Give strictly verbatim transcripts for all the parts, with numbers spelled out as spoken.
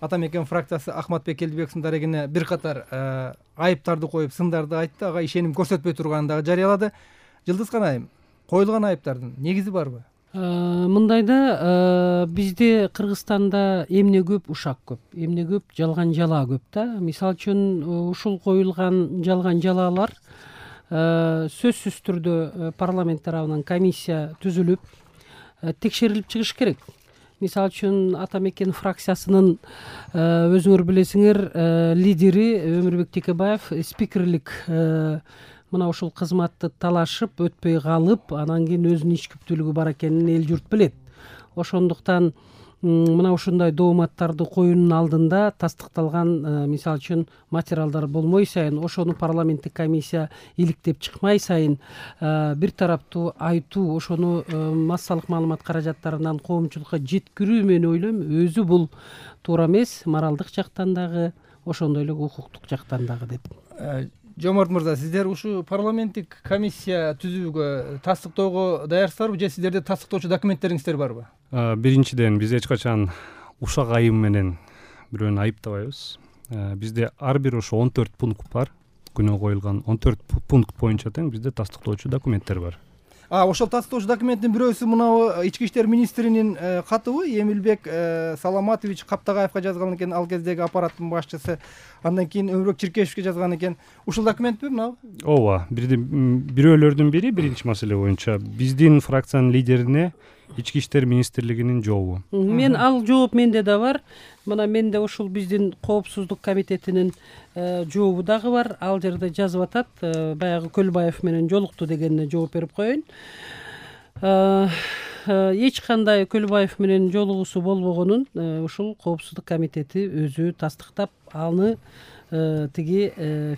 ата мекен фракциясы Ахматбек Келдибеков сындарегине бир катар айыптарды коюп, сындарды айтты, ага ишеним көрсөтпөй турганын дагы жарыялады. Жылдыз Канайым, коюлган айыптардын негизи барбы? Мындайда бизде Кыргызстанда эмне көп, ушак көп, эмне көп, жалган жала көп да. Мисалы үчүн ушул коюлган жалган жалаалар сөзсүз түрдө парламент тарабынан комиссия түзүлүп текшерилип чыгыш керек. Мисалы үчүн ата мекен фракциясынын өзүңөр билесиңер лидери Өмүрбек Текебаев спикерлик мына ушул кызматты талашып өтпөй калып, анан кийин өзүнүн ич күптүүлүгү бар экенин эл журт билет. Ошондуктан мына ушундай дооматтарды коюунун алдында тастыкталган мисалы үчүн материалдар болмой сайын, ошону парламенттик комиссия иликтеп чыкмай сайын бир тараптуу айтуу, ошону массалык маалымат каражаттарынан коомчулукка жеткирүү мен ойлойм, өзү бул туура эмес, моралдык жактан дагы, ошондой эле укуктук жактан дагы деп. Жомарт мырза, сиздер ушу парламенттик комиссия түзүүгө, тастыктоого даярсыздарбы же сиздерде тастыктоочу документтериңиздер барбы? Биринчиден, биз эч качан ушак айым менен бирөөнү айыптабайбыз. Бизде ар бир ошо он төрт пункт бар. Күнөө коюлган он төрт пункт боюнча тең бизде тастыктоочу документтер бар. А ошол тастыктоочу документтин бирөөсү мынабы ички иштер министринин катыбы, Эмилбек Саламатович Каптагаевга жазган экен, ал кездеги аппараттын башчысы. Андан кийин Өмүрбек Чиркешевге жазган экен. Ушул документпи мынабы? Ооба, бирөөлөрдүн бири биринчи маселе боюнча биздин фракциянын лидерине ички иштер министрлигинин жообу. Мен ал жооп менде да бар. Мына менде ушул биздин коопсуздук комитетинин жообу дагы бар. Ал жерде жазып атат, баягы Көлбаев менен жолукту дегенине жооп берип коеюн. Эч кандай Көлбаев менен жолугуусу болбогонун ушул коопсуздук комитети өзү тастыктап, аны тиги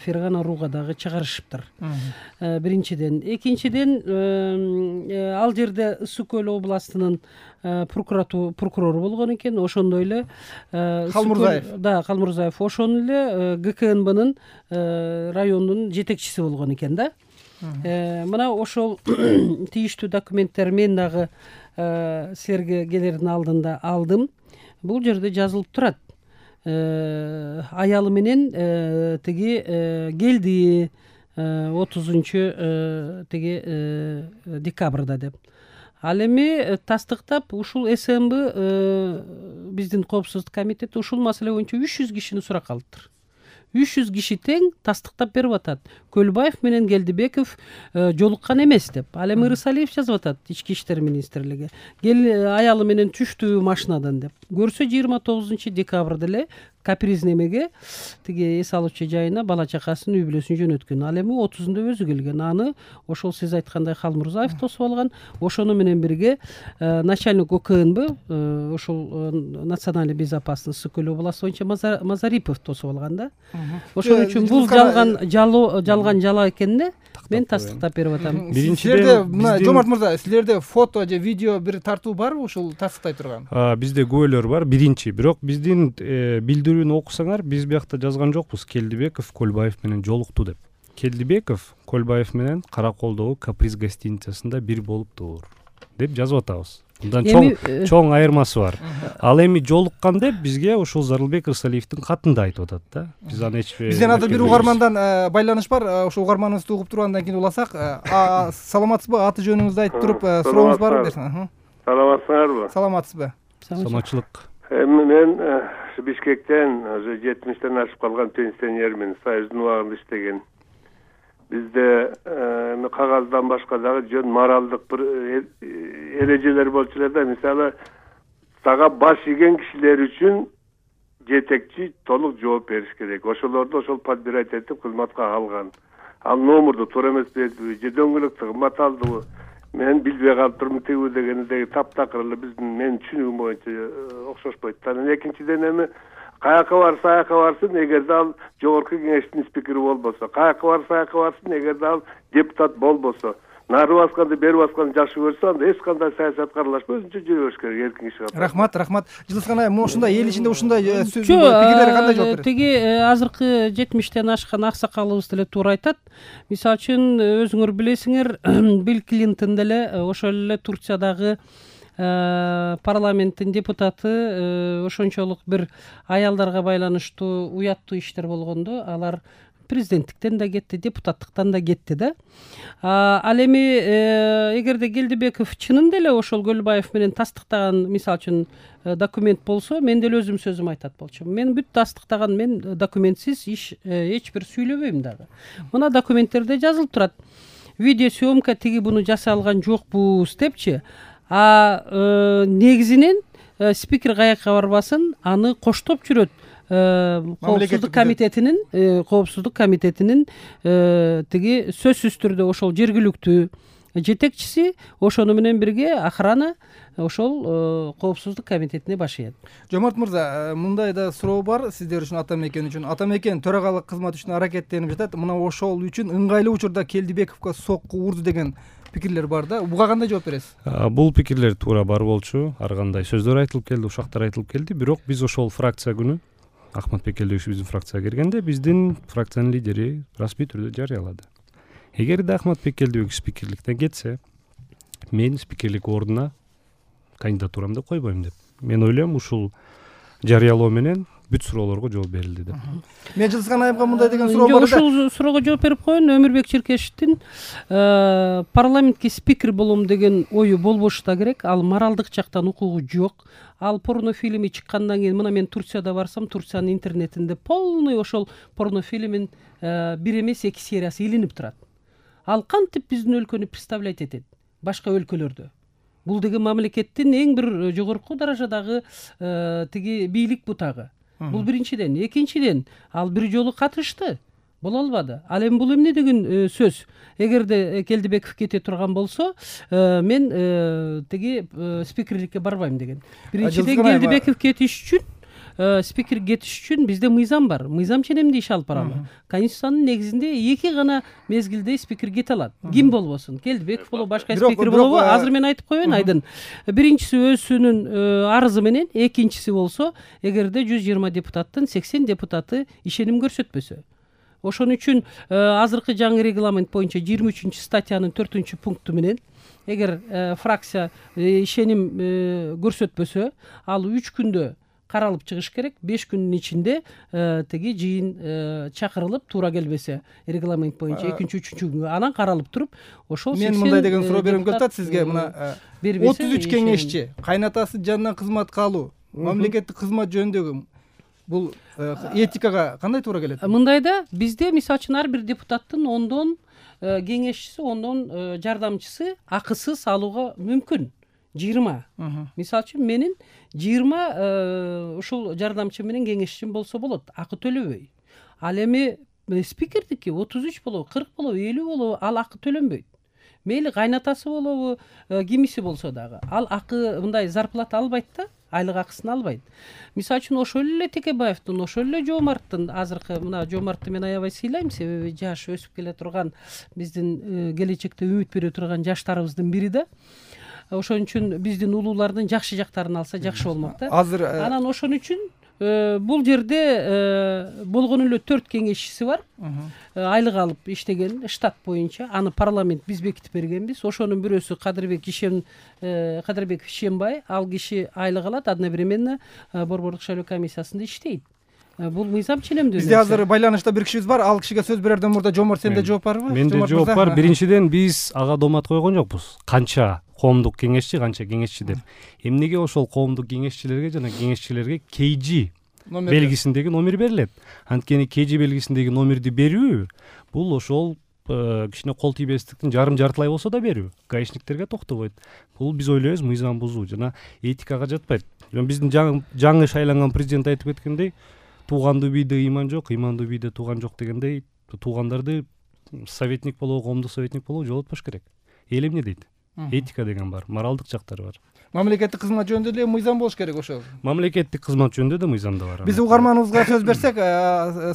Фергана Рууга дагы чыгарышыптыр. Биринчиден, экинчиден, ал жерде Ысык Көл областынын прокурору болгон экен, ошондой эле Калмурзаев. Да, Калмурзаев, ошону эле ГКНБнын райондун жетекчиси болгон экен да. Мына ошол тийиштүү документтер мен дагы силерге келердин алдында алдым. Бул жерде жазылып турат. Аялы менен тиги келди отузунчу тиги декабрда деп. Ал эми тастыктап ушул СМБ биздин коопсуздук комитети ушул маселе боюнча үч жүз кишини суракка алыптыр. үч жүз киши тең тастыктап берип атат. Көлбаев менен Келдибеков жолуккан эмес деп. Ал эми Ырысалиев жазып атат ички иштер министрлиги. Кел аялы менен түштү машинадан деп. Көрсө жыйырма тогузунчу декабрда эле капризнемеге тиги эс алуучу жайына бала чакасын, үй бүлөсүн жөнөткөн. Ал эми отузунда өзү келген. Аны ошол сиз айткандай Калмурзаев тосуп алган. Ошону менен бирге начальник ОКНБ, ошол национальный безопасность Ысык Көл областы боюнча Мазарипов тосуп алган да. Ошон үчүн бул жалган жалоо, жалган жала экенине мен тастыктап берип атам. Силерде мына Жомарт мырза, силерде фото же видео бир тартуу барбы ушул тастыктай турган? Бизде күбөлөр бар. Биринчи, бирок биздин билдирүүнү окусаңар, биз биякта жазган жокпуз Келдибеков Көлбаев менен жолукту деп. Келдибеков Көлбаев менен Караколдогу Каприз гостиницасында бир болуптур деп жазып атабыз. Мындан чоң чоң айырмасы бар. Ал эми жолуккан деп бизге ушул Зарылбек Ырысалиевдин катында айтып атат да. Биз аны эч бизден азыр бир угармандан байланыш бар. Ошо угарманыбызды угуп туруп андан кийин уласак, саламатсызбы? Аты жөнүңүздү айтып туруп сурооңуз барбы десең? Саламатсыздарбы? Саламатсызбы? Саламатчылык. Эми мен Бишкектен уже жетимиштен ашып калган пенсионермин, Союздун убагында иштеген. Бизде кагаздан башка дагы жөн моралдык бир эрежелер болчу эле да. Мисалы, сага баш ийген кишилер үчүн жетекчи толук жооп бериш керек. Ошолорду ошол подбирательдик кызматка алган. Ал номурду туура эмес бердиби же дөңгөлөк кымбат алдыбы? Мен билбей калып турмун тигүү дегенде таптакыр эле биздин менин түшүнүгүм боюнча окшошпойт. Анан экинчиден эми каяка барса аяка барсын, эгерде ал жогорку кеңештин спикери болбосо, каяка барса аяка барсын, эгерде ал депутат болбосо, нары басканды бери басканды жакшы көрсө, анда эч кандай саясатка аралашпай өзүнчө жүрө бериш керек, эркин киши катары. Рахмат, рахмат. Жылдыз Канайым, ушундай эл ичинде ушундай пикирлерге кандай жооп берет? Тиги азыркы жетимиштен ашкан аксакалыбыз деле туура айтат. Мисалы үчүн өзүңөр билесиңер, Билл Клинтон деле ошол эле Турциядагы парламенттин депутаты ошончолук бир аялдарга байланыштуу уяттуу иштер болгондо алар президенттиктен да кетти, депутаттыктан да кетти да. Ал эми эгерде Келдибеков чынында эле ошол Көлбаев менен тастыктаган, мисалы үчүн документ болсо, мен деле өзүм сөзүм айтат болчумун. Мен бүт тастыктаган, мен документсиз иш эч бир сүйлөбөйм дагы. Мына документтерде жазылып турат. Видеосъемка тиги буну жасай алган жокпуз депчи. А негизинен спикер каяка барбасын, аны коштоп жүрөт. Коопсуздук комитетинин коопсуздук комитетинин тиги сөзсүз түрдө ошол жергиликтүү жетекчиси, ошону менен бирге охрана ошол коопсуздук комитетине башыйт. Жомарт мырза, мындай да суроо бар сиздер үчүн, ата мекен үчүн. Ата мекен төрагалык кызмат үчүн аракеттенип жатат. Мына ошол үчүн ыңгайлуу учурда Келдибековго сокку урду деген пикирлер бар да. Буга кандай жооп бересиз? Бул пикирлер туура бар болчу. Ар кандай сөздөр айтылып келди, ушактар айтылып келди. Бирок биз ошол фракция күнү Ахматбек Келдибеков биздин фракцияга киргенде биздин фракциянын лидери расмий түрдө жарыялады. Эгерде Ахматбек Келдибеков спикерликтен кетсе, мен спикерлик ордуна кандидатурамды койбойм деп. Мен ойлойм, ушул жарыялоо менен бүт суроолорго жооп берилди деп. Мен Жылысхан айымга мындай деген суроо бар да. Ушул суроого жооп берип коеюн. Өмүрбек Черкешевдин парламентке спикер болом деген ою болбошу да керек. Ал моралдык жактан укугу жок. Ал порно фильми чыккандан кийин, мына мен Турцияда барсам, Турциянын интернетинде полный ошол порно фильмин бир эмес эки сериясы илинип турат. Ал кантип биздин өлкөнү представлять этет башка өлкөлөрдө? Бул деген мамлекеттин эң бир жогорку даражадагы тиги бийлик бутагы. Бул биринчиден. Экинчиден, ал бир жолу катышты, боло албады. Ал эми бул эмне деген сөз? Эгерде Келдибеков кете турган болсо, мен тиги спикерликке барбайм деген. Биринчиден, Келдибеков кетиш үчүн, спикер кетиш үчүн бизде мыйзам бар. Мыйзам ченемде иш алып баралы. Конституциянын негизинде эки гана мезгилде спикер кете алат. Ким болбосун? Келдибеков болобу, башка спикер болобу? Азыр мен айтып коеюн, Айдын. Биринчиси өзүнүн арызы менен, экинчиси болсо, эгерде жүз жыйырма депутаттын сексен депутаты ишеним көрсөтпөсө. Ошон үчүн азыркы жаңы регламент боюнча жыйырма үчүнчү статьянын төртүнчү пункту менен эгер фракция ишеним көрсөтпөсө, ал үч күндө каралып чыгыш керек. беш күндүн ичинде тиги жыйын чакырылып, туура келбесе регламент боюнча экинчи, үчүнчү күнгө анан каралып туруп, ошол мен мындай деген суроо берем деп атат сизге. Мына отуз үч кеңешчи, кайнатасы жанынан кызматка алуу, мамлекеттик кызмат жөнүндөгү бул этикага кандай туура келет? Мындайда бизде мисалы үчүн ар бир депутаттын ондон кеңешчиси, ондон жардамчысы акысыз алууга мүмкүн. жыйырма. Мисалы үчүн менин жыйырма ушул жардамчы менен кеңешчим болсо болот, акы төлөбөй. Ал эми спикердики отуз үч болобу, кырк болобу, элүү болобу, ал акы төлөнбөйт. Мейли кайнатасы болобу, кимиси болсо дагы, ал акы мындай зарплата албайт да, айлык акысын албайт. Мисалы үчүн ошол эле Текебаевдин, ошол эле Жомарттын, азыркы мына Жомартты мен аябай сыйлайм, себеби жаш өсүп келе турган, биздин келечекте үмүт бере турган жаштарыбыздын бири да. Ошон үчүн биздин улуулардын жакшы жактарын алса жакшы болмок да. Азыр анан ошон үчүн бул жерде болгону эле төрт кеңешчиси бар. Айлык алып иштеген штат боюнча. Аны парламент биз бекитип бергенбиз. Ошонун бирөөсү Кадырбек Ишем Кадырбек Ишембай, ал киши айлык алат, одновременно борбордук шайлоо комиссиясында иштейт. Бул мыйзам ченемдүү. Бизде азыр байланышта бир кишибиз бар. Ал кишиге сөз берерден мурда Жомарт, сенде жооп барбы? Менде жооп бар. Биринчиден, биз ага домат койгон жокпуз. Канча коомдук кеңешчи, канча кеңешчи деп. Эмнеге ошол коомдук кеңешчилерге жана кеңешчилерге кей жи белгисиндеги номер берилет? Анткени кей жи белгисиндеги номерди берүү бул ошол кичине кол тийбестиктин жарым жартылай болсо да берүү. Гаишниктерге токтобойт. Бул биз ойлойбуз мыйзам бузуу жана этикага жатпайт. Биздин жаңы шайланган президент айтып кеткендей, туугандуу бийде ыйман жок, ыймандуу бийде тууган жок дегендей, туугандарды советник болобу, коомдук советник болобу жолотпош керек. Эл эмне дейт? Этика деген бар, моралдык жактары бар. Мамлекеттик кызмат жөнүндө эле мыйзам болуш керек ошол. Мамлекеттик кызмат жөнүндө да мыйзам да бар. Биз угарманыбызга сөз берсек,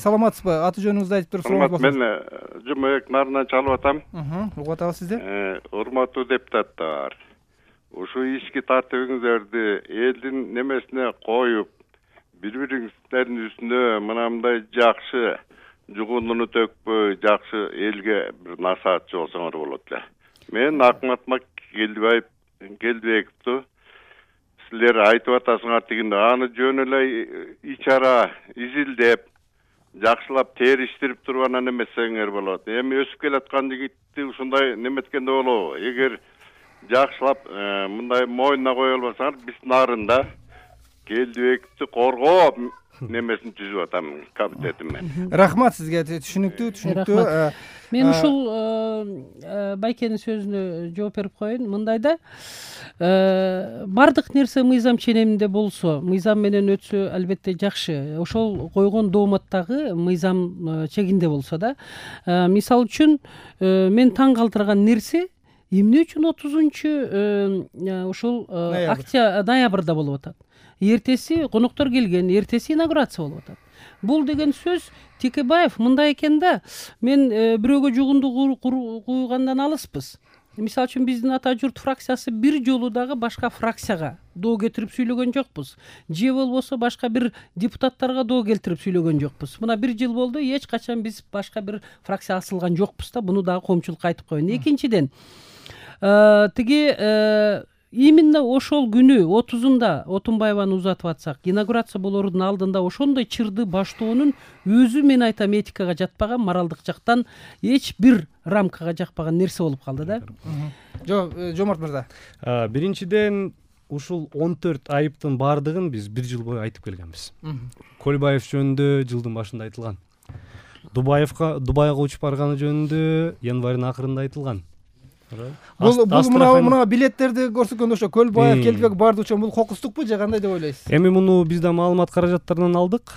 саламатсызбы? Аты жөнүңүздү айтып туруп сурооңуз болсо. Мен Жумабек Нарынан чалып атам. Угуп атабыз сизди. Урматтуу депутаттар, ушу ички тартибиңиздерди элдин немесине коюп, бири-бириңиздердин үстүнө мынандай жакшы жугундуну төкпөй, жакшы элге бир насаатчы болсоңор болот эле. Мен Акматбек Келдибековду силер айтып атасыңар тигинде аны жөн эле ичара изилдеп жакшылап териштирип туруп анан эмесеңер болот. Эми өсүп келаткан жигитти ушундай неметкенде болобу? Эгер жакшылап мындай мойнуна кое албасаңар, биз нарында келдибекти коргоо немесин түзүп атам, комитетим мен. Рахмат сизге, түшүнүктүү, түшүнүктүү. Мен ушул Байкенин сөзүнө жооп берип коеюн. Мындайда бардык нерсе мыйзам ченеминде болсо, мыйзам менен өтсө албетте жакшы. Ошол койгон дооматтагы мыйзам чегинде болсо да. Мисалы үчүн мен таң калтырган нерсе эмне үчүн отузунчу ушул октябрь ноябрда болуп атат. Эртеси коноктор келген, эртеси инаугурация болуп атат. Бул деген сөз Текебаев мындай экен да, мен бирөөгө жугунду куйгандан алыспыз. Мисалы үчүн биздин ата журт фракциясы бир жолу дагы башка фракцияга доо кетирип сүйлөгөн жокпуз. Же болбосо башка бир депутаттарга доо келтирип сүйлөгөн жокпуз. Мына бир жыл болду, эч качан биз башка бир фракция асылган жокпуз да, буну дагы коомчулукка айтып коеюн. Экинчиден, тиги именно ошол күнү отузунда Отунбаеваны узатып атсак, инаугурация болордун алдында ошондой чырды баштоонун өзү, мен айтам, этикага жатпаган, моралдык жактан эч бир рамкага жакпаган нерсе болуп калды да. Жок, Жомарт мырза. Биринчиден, ушул он төрт айыптын баардыгын биз бир жыл бою айтып келгенбиз. Көлбаев жөнүндө жылдын башында айтылган. Дубаевга Дубайга учуп барганы жөнүндө январдын акырында айтылган. Бул мына мына билеттерди көрсөткөндө ошо Көлбаев, Келдибек барды учун бул кокустукпу же кандай деп ойлойсуз? Эми муну биз да маалымат каражаттарынан алдык.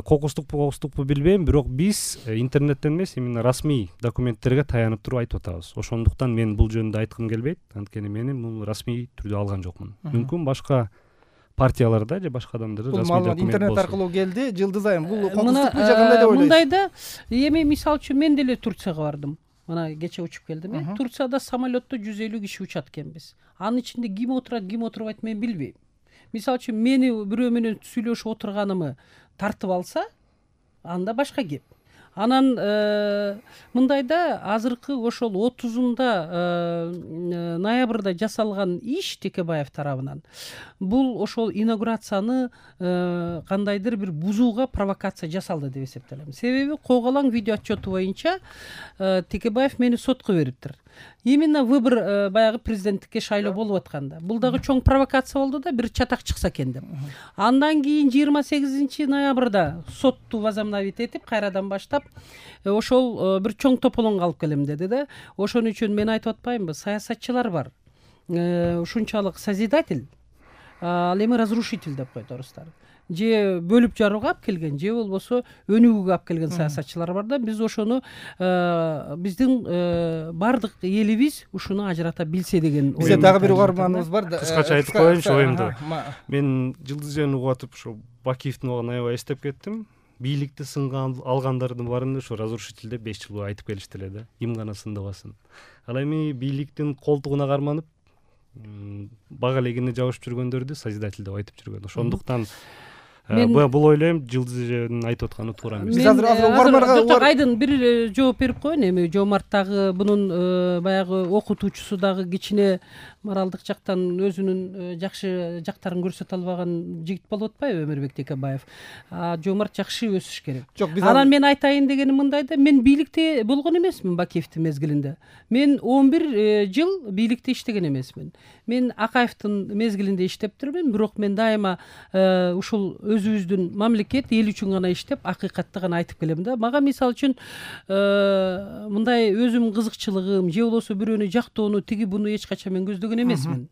Кокустукпу, кокустукпу билбейм, бирок биз интернеттен эмес, именно расмий документтерге таянып туруп айтып атабыз. Ошондуктан мен бул жөнүндө айткым келбейт, анткени мен муну расмий түрдө алган жокмун. Мүмкүн башка партияларда же башка адамдарда расмий документ болсун. Интернет аркылуу келди, жылдыз айым. Бул кокустукпу же кандай деп ойлойсуз? Мындайда, эми мисалы үчүн мен деле Турцияга бардым. Мына кече учуп келдим. Турцияда самолетто жүз элүү киши учат экенбиз. Анын ичинде ким отурат, ким отурбайт мен билбейм. Мисалы үчүн мени бирөө менен сүйлөшүп отурганымы тартып алса, анда башка кеп. Анан мындайда азыркы ошол отузунда ноябрда жасалган иш Текебаев тарабынан бул ошол инаугурацияны кандайдыр бир бузууга провокация жасалды деп эсептелем. Себеби Коголаң видео отчету боюнча Текебаев мени сотко бериптир. Именно выбор баягы президенттикке шайлоо болуп атканда. Бул дагы чоң провокация болду да, бир чатак чыкса экен деп. Андан кийин жыйырма сегизинчи ноябрда сотту возобновить этип, кайрадан баштап ошол бир чоң тополоңго алып келем деди да. Ошон үчүн мен айтып атпаймынбы, саясатчылар бар. Ушунчалык созидатель, ал эми разрушитель деп койот орустар. Же бөлүп жарууга алып келген, же болбосо өнүгүүгө алып келген саясатчылар бар да. Биз ошону биздин бардык элибиз ушуну ажырата билсе деген ой. Бизде дагы бир угарманыбыз бар да. Кыскача айтып коеюнчу оюмду. Мен Жылдыз жөнүн угуп атып ошо Бакиевдин убагын аябай эстеп кеттим. Бийликти сынга алгандардын баарын ушу разрушитель деп беш жыл бою айтып келишти эле да. Ким гана сындабасын. Ал эми бийликтин колтугуна карманып бага элегине жабышып жүргөндөрдү созидатель деп айтып жүргөн. Ошондуктан бул ойлойм, Жылдыздын айтып атканы туура эмес. Биз азыр азыр угармарга айдын бир жооп берип коеюн. Эми Жомарт дагы бунун баягы окутуучусу дагы кичине моралдык жактан өзүнүн жакшы жактарын көрсөтө албаган жигит болуп атпайбы Өмүрбек Текебаев? Жомарт жакшы өсүш керек. Анан мен айтайын дегеним мындай да, мен бийликте болгон эмесмин Бакиевдин мезгилинде. Мен он бир жыл бийликте иштеген эмесмин. Мен Акаевдин мезгилинде иштептирмин, бирок мен дайыма ушул өзүбүздүн мамлекет эл үчүн гана иштеп, акыйкатты гана айтып келем да. Мага мисалы үчүн мындай өзүмдүн кызыкчылыгым же болбосо бирөөнү жактоону, тиги буну эч качан мен көздөгөн эмесмин.